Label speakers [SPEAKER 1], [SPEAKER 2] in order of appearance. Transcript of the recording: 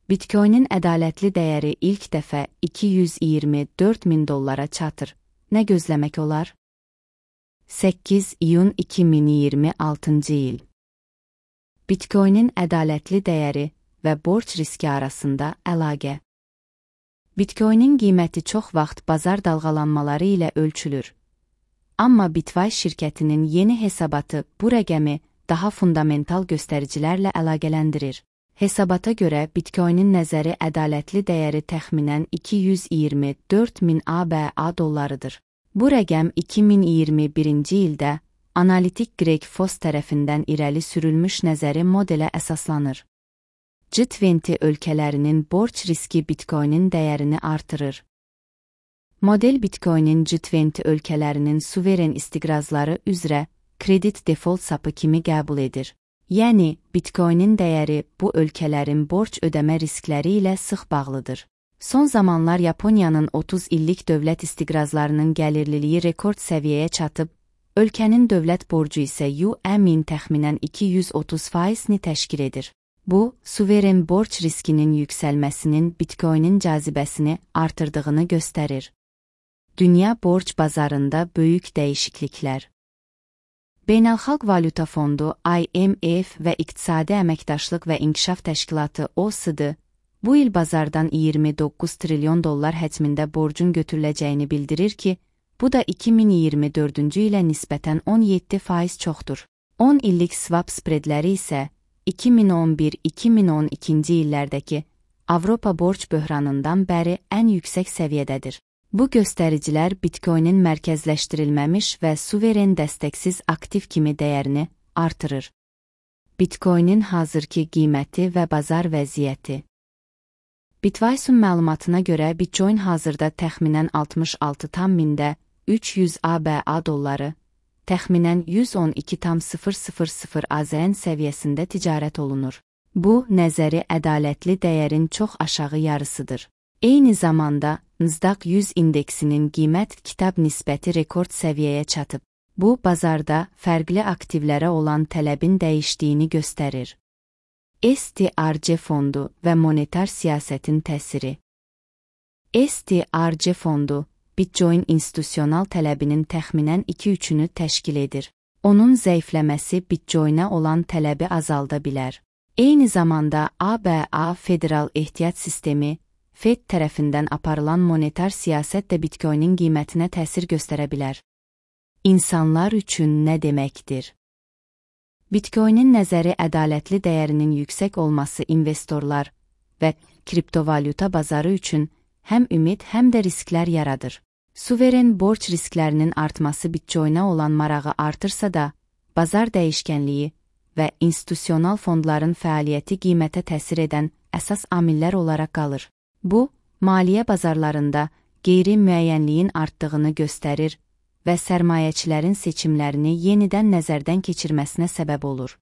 [SPEAKER 1] Bitcoinin ədalətli dəyəri ilk dəfə $224.000 çatır. Nə gözləmək olar? 8 iyun 2026-cı il. Bitcoinin ədalətli dəyəri və borc riski arasında əlaqə. Bitcoinin qiyməti çox vaxt bazar dalğalanmaları ilə ölçülür. Amma Bitwise şirkətinin yeni hesabatı bu rəqəmi daha fundamental göstəricilərlə əlaqələndirir. Hesabata görə Bitcoinin nəzəri ədalətli dəyəri təxminən 224.000 ABA dollarıdır. Bu rəqəm 2021-ci ildə analitik Greg Foss tərəfindən irəli sürülmüş nəzəri modelə əsaslanır. G20 ölkələrinin borc riski Bitcoinin dəyərini artırır. Model Bitcoinin G20 ölkələrinin suveren istiqrazları üzrə kredit default sapı kimi qəbul edir. Yəni, Bitcoinin dəyəri bu ölkələrin borc ödəmə riskləri ilə sıx bağlıdır. Son zamanlar Yaponiyanın 30 illik dövlət istiqrazlarının gəlirliliyi rekord səviyyəyə çatıb, ölkənin dövlət borcu isə YUM-in təxminən 230%-ni təşkil edir. Bu, suveren borc riskinin yüksəlməsinin Bitcoinin cazibəsini artırdığını göstərir. Dünya borc bazarında böyük dəyişikliklər. Beynəlxalq Valyuta Fondu IMF və İqtisadi Əməkdaşlıq və İnkişaf Təşkilatı OECD bu il bazardan $29 trilyon həcmində borcun götürüləcəyini bildirir ki, bu da 2024-cü ilə nisbətən 17% çoxdur. 10 illik swap spreadləri isə 2011-2012-ci illərdəki Avropa borc böhranından bəri ən yüksək səviyyədədir. Bu göstəricilər Bitcoinin mərkəzləşdirilməmiş və suveren dəstəksiz aktiv kimi dəyərini artırır. Bitcoinin hazırki qiyməti və bazar vəziyyəti. Bitwise'un məlumatına görə Bitcoin hazırda təxminən 66.000 300 ABA dolları, təxminən 112.000 AZN səviyyəsində ticarət olunur. Bu, nəzəri ədalətli dəyərin çox aşağı yarısıdır. Eyni zamanda, Nasdaq 100 indeksinin qiymət-kitab nisbəti rekord səviyyəyə çatıb. Bu, bazarda fərqli aktivlərə olan tələbin dəyişdiyini göstərir. STRC fondu və monetar siyasətin təsiri. STRC fondu, Bitcoin institusional tələbinin təxminən 2/3-ünü təşkil edir. Onun zəifləməsi Bitcoinə olan tələbi azalda bilər. Eyni zamanda ABA Federal Ehtiyat Sistemi, FED tərəfindən aparılan monetar siyasət də Bitcoinin qiymətinə təsir göstərə bilər. İnsanlar üçün nə deməkdir? Bitcoinin nəzəri ədalətli dəyərinin yüksək olması investorlar və kriptovalyuta bazarı üçün həm ümid, həm də risklər yaradır. Suveren borc risklərinin artması Bitcoinə olan marağı artırsa da, bazar dəyişkənliyi və institusional fondların fəaliyyəti qiymətə təsir edən əsas amillər olaraq qalır. Bu, maliyyə bazarlarında qeyri-müəyyənliyin artdığını göstərir və sərmayəçilərin seçimlərini yenidən nəzərdən keçirməsinə səbəb olur.